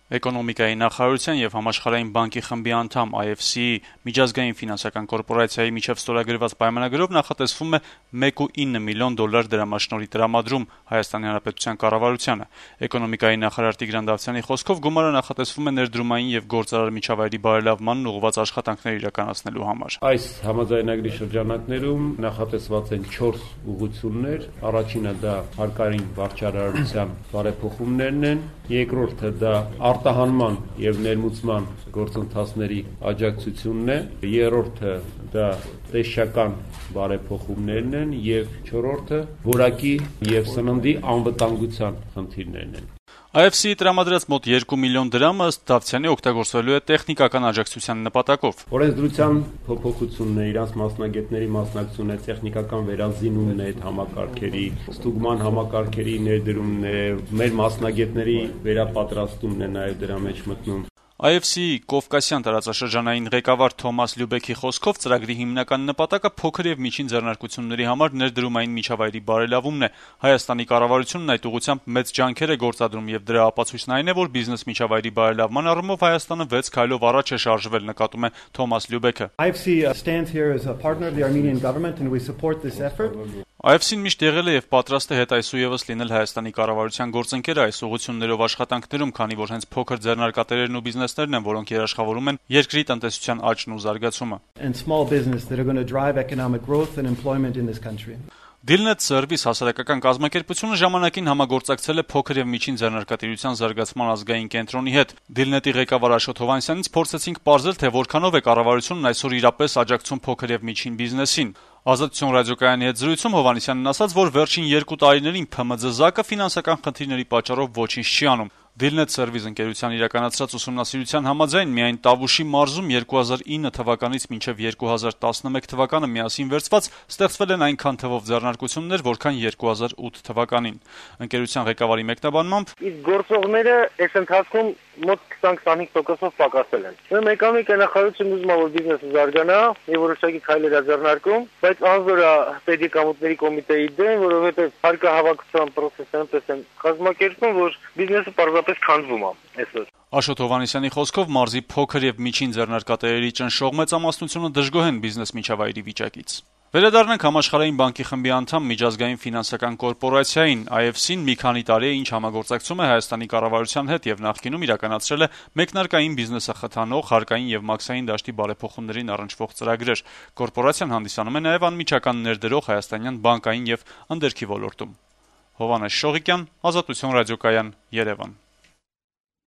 Էկոնոմիկայի նախարարության եւ Համաշխարհային բանկի խմբի անդամ IFC-ի միջազգային ֆինանսական կորպորացիայի միջև ստորագրված պայմանագրով նախատեսվում է 1.9 միլիոն դոլար դրամաշնորհի տրամադրում Հայաստանի Հանրապետության կառավարությանը։ Էկոնոմիկայի նախարար Տիգրան Դավթյանի խոսքով գումարը նախատեսվում է ներդրումային եւ գործարար միջավայրի բարելավմանն ուղղված աշխատանքներ իրականացնելու համար։ Այս համաձայնագրի շրջանակներում նախատեսված են 4 ուղղություններ։ Առաջինը դա հարկային վարչարարության բարեփոխումներն են, երկրորդը դա արտահանման եւ ներմուծման գործընթացների աջակցությունն է, երրորդը դա տեսչական բարեփոխումներն են եւ չորրորդը որակի եւ սննդի անվտանգության խնդիրներն են։ IFC-ի տրամադրած մոտ 2 միլիոն դրամը ըստ Դավթյանի օգտագործվելու է տեխնիկական աջակցության նպատակով։ Օրենսդրության փոփոխությունն է, իրանց մասնագետների մասնակցությունն է, տեխնիկական վերազինումն է, համակարգերի, ստուգման համակարգերի ներդրումն է, մեր մասնագետների վերապատրաստումն է նաեւ դրա մեջ մտնում։ IFC-ի Կովկասյան տարածաշրջանային ղեկավար Թոմաս Լյուբեքի խոսքով ծրագրի հիմնական նպատակը փոքր եւ միջին ձեռնարկությունների համար ներդրումային միջավայրի բարելավումն է։ Հայաստանի կառավարությունն այդ ուղղությամբ մեծ ջանքեր է գործադրում եւ դրա ապացույցն այն է, որ բիզնես միջավայրի բարելավման առումով Հայաստանը 6 քայլով առաջ է շարժվել, նկատում է Թոմաս Լյուբեքը։ IFC-ն միշտ եղել է եւ պատրաստ է հետայսուեւս լինել Հայաստանի կառավարության գործընկերը այս ուղղություններով աշխատանքներում, քանի որ հենց փոքր ձեռնարկատերերն ու բիզնեսներն են, որոնք երաշխավորում են երկրի տնտեսության աճն ու զարգացումը։ Դիլնետ Սերվիս հասարակական կազմակերպությունը ժամանակին համագործակցել է փոքր եւ միջին ձեռնարկատիրության զարգացման ազգային կենտրոնի հետ։ Դիլնետի ղեկավար Աշոտ Հովհաննիսյանից փորձեցինք պարզել, թե որքանով է կառավարությունն այսօր իրապես աջակցում փոքր եւ միջին բիզնեսին։ Ազատություն ռադիոկայանի հետ զրույցում Հովհաննիսյանն ասաց, որ վերջին 2 տարիներին ՓՄԶ-ակը ֆինանսական խնդիրների պատճառով ոչինչ չի անում։ Դիլնետ Սերվիս ընկերության իրականացրած ուսումնասիրության համաձայն միայն Տավուշի մարզում 2009 թվականից մինչև 2011 թվականը միասին վերցված ստեղծվել են այնքան թվով ձեռնարկություններ, որքան 2008 թվականին։ Ընկերության ղեկավարի մեկնաբանմամբ, իսկ գործողները այս ընթացքում մոտ 20-25%-ով պակասել են։ Ուրեմն էկոնոմիկայի նախարարությունն ուզում է, որ բիզնեսը զարգանա եւ որոշակի քայլեր ձեռնարկում, բայց անզոր է պետեկամուտների կոմիտեի դեմ, որովհետեւ հարկահավաքության process-ը այնպես են կազմակերպում, որ բիզնեսը պարզապես քանդվում է այսօր։ Աշոտ Հովհաննիսյանի խոսքով մարզի փոքր եւ միջին ձեռնարկատերերի ճնշող մեծամասնությունը դժգոհ են բիզնես միջավայրի վիճակից։ Վերադառնանք Համաշխարհային բանկի խմբի անդամ միջազգային ֆինանսական կորպորացիային IFC-ն մի քանի տարի է ինչ համագործակցում է Հայաստանի կառավարության հետ եւ նախկինում իրականացրել է մեկնարկային բիզնեսը խթանող հարկային եւ մաքսային դաշտի բարեփոխումներին առնչվող ծրագրեր։ Կորպորացիան հանդիսանում է նաեւ անմիջական ներդրող հայաստանյան բանկային եւ ընդերքի ոլորտում։ Հովհաննես Շողիկյան, Ազատություն ռադիոկայան, Երևան։